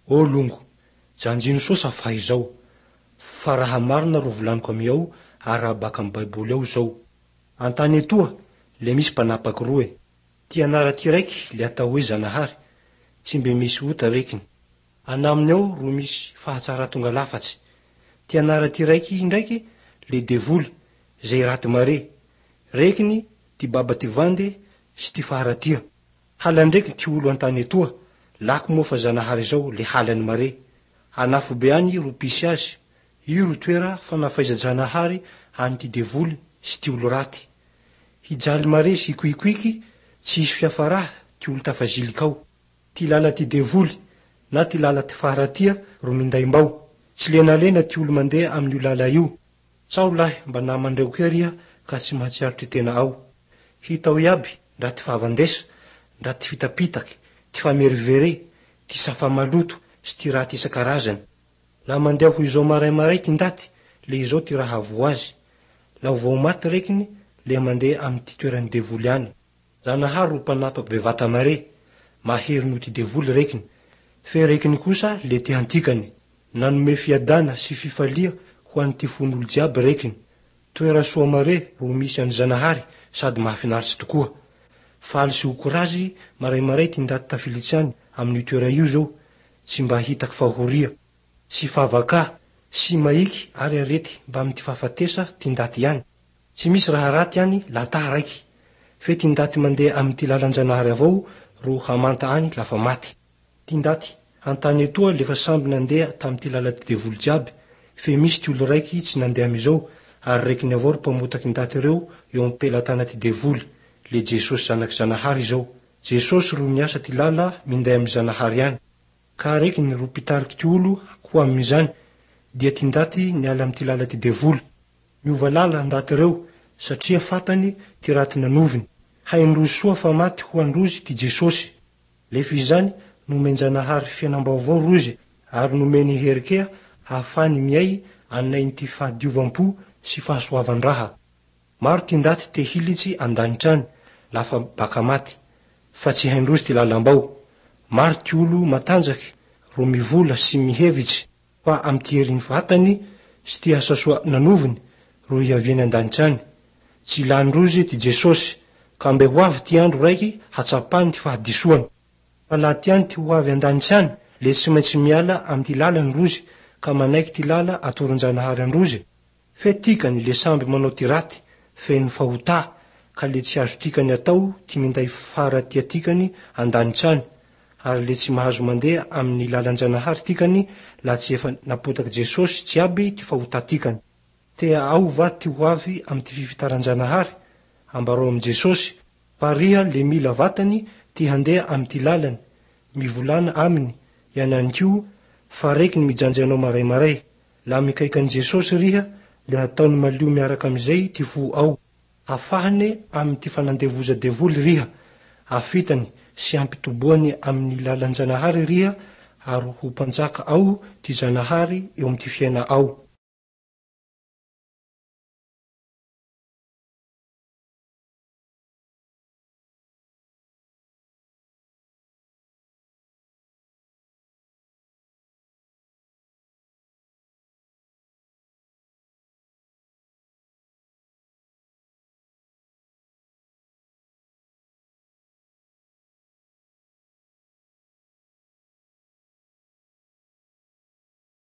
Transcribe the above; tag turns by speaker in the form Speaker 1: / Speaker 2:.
Speaker 1: Ô longo, janjino soa safa izao, fa raha marina ro volaniko amiao ary raha baka amy Baiboly ao zao. An-tany etoa, le misy mpanapaky roe. Ty anara ty raiky le atao hoe Zanahary, tsy mbe misy ota rekiny. Anaminy ao ro misy fahatsara tonga lafatsy. Ty anara ty raiky indraiky le devoly, zay raty mare. Rekiny ty baba ty vande sy ty faharatia. Halan-dreky ty olo an-tany etoa, lako moa fa Zanahary zao le halany mare. An'afobe any ro pisy azy, io ro toera fanafaiza-janahary any ty devoly sy ty olo raty. Hijaly mare sy hikoikoiky, tsy hisy fiafaraha ty olo tafaziliky ao. Ty lala ty devoly na ty lala ty faharatia ro minday mbao. Tsy lenalena ty olo mandeha amin'io lala io. Tsao lahy mba namandreo kea riha ka tsy mahatsiaro ty tena ao. Hitao iaby ndra ty fahavandesa, ndra ty fitapitaky, ty famerivere, ty safa maloto sy ty raty isan-karazany. Laha mandeha ho izao maray-maray ty ndaty, le izao ty raha havoa azy. Laha vao maty rekiny, le mandeha amy ty toeran'ny devoly any. Zanahary ro mpanapaky bevata mare, mahery noho ty devoly rekiny. Fe rekiny kosa le te antikany. Nanome fiadana sy fifalia ho an'ny ty fon'olo jiaby rekiny. Toera soa mare ro misy an'i Zanahary sady mahafinaritsy tokoa. Faly sy ho korazy maray-maray ty ndaty tafilitsy any amin'io toera io zao, tsy mba hitaky fahoria, sy favaka, sy maiky ary arety mba amy ty fahafatesa ty ndaty ihany. Tsy misy raha raty any laha raiky. Fe ty ndaty mandeha amy ty lalan-janahary avao ro hamanta any lafa maty. Ty ndaty an-tany etoa lefa samby nandeha tamy ty lala ty devoly jiaby, fe misy ty olo raiky tsy nandeha amizao, ary rekiny avao ro mpamotaky ndaty reo eo am-pelatana ty devoly, le Jesosy zanaky Zanahary izao. Jesosy ro niasa ty lala minday amy Zanahary any. Ka rekiny ro mpitariky ty olo ho amin'izany, dia ty ndaty niala amy ty lala ty devoly. Miova lala ndaty reo, satria fatany ty raty nanoviny. Haindrozy soa fa maty ho androzy ty Jesosy. Lefa izany nomen-janahary fiainam-baovao rozy ary nomeny herikea hahafany miay anainy ty fahadiovam-po sy fahasoavan-draha. Maro ty ndaty te hilitsy an-danitra any lafa baka maty, fa tsy haindrozy ty lalam-bao. Maro ty olo matanjaky ro mivola sy mihevitsy fa amy ty herin'ny vatany sy ty asa soa nanoviny ro hiaviany an-danitra any. Tsy ilan-drozy ty Jesosy, ka mbe ho avy ty andro raiky hatsapany ty fahadisoany. Fa laha tiany ty ho avy an-danitra any, le tsy maintsy miala amy ty lalany rozy ka manaiky ty lala atoron-janahary androzy. Fe tikany le samby manao ty raty, feno fahotà, ka le tsy azo tikany atao ty minday faharatia tikany an-danitra any, ary le tsy mahazo mandeha amin'ny lalan-janahary tikany laha tsy efa napotaky Jesosy jiaby ty fahotà tikany. Tea ao va ty ho avy amy ty fifitaran-janahary? Ambarao amy Jesosy, fa riha le mila vatany ty handeha amy ty lalany, mivolana aminy, iananikio, fa rekiny mijanjy anao maray-maray. Laha mikaiky an'i Jesosy riha, le hataony malio miaraka amizay ty fo ao. Afahane amy ty fanandevoza devoly riha, afitany sy ampitoboany amin'ny lalan-janahary riha ary ho mpanjaka ao ty Zanahary eo amy ty fiaina ao.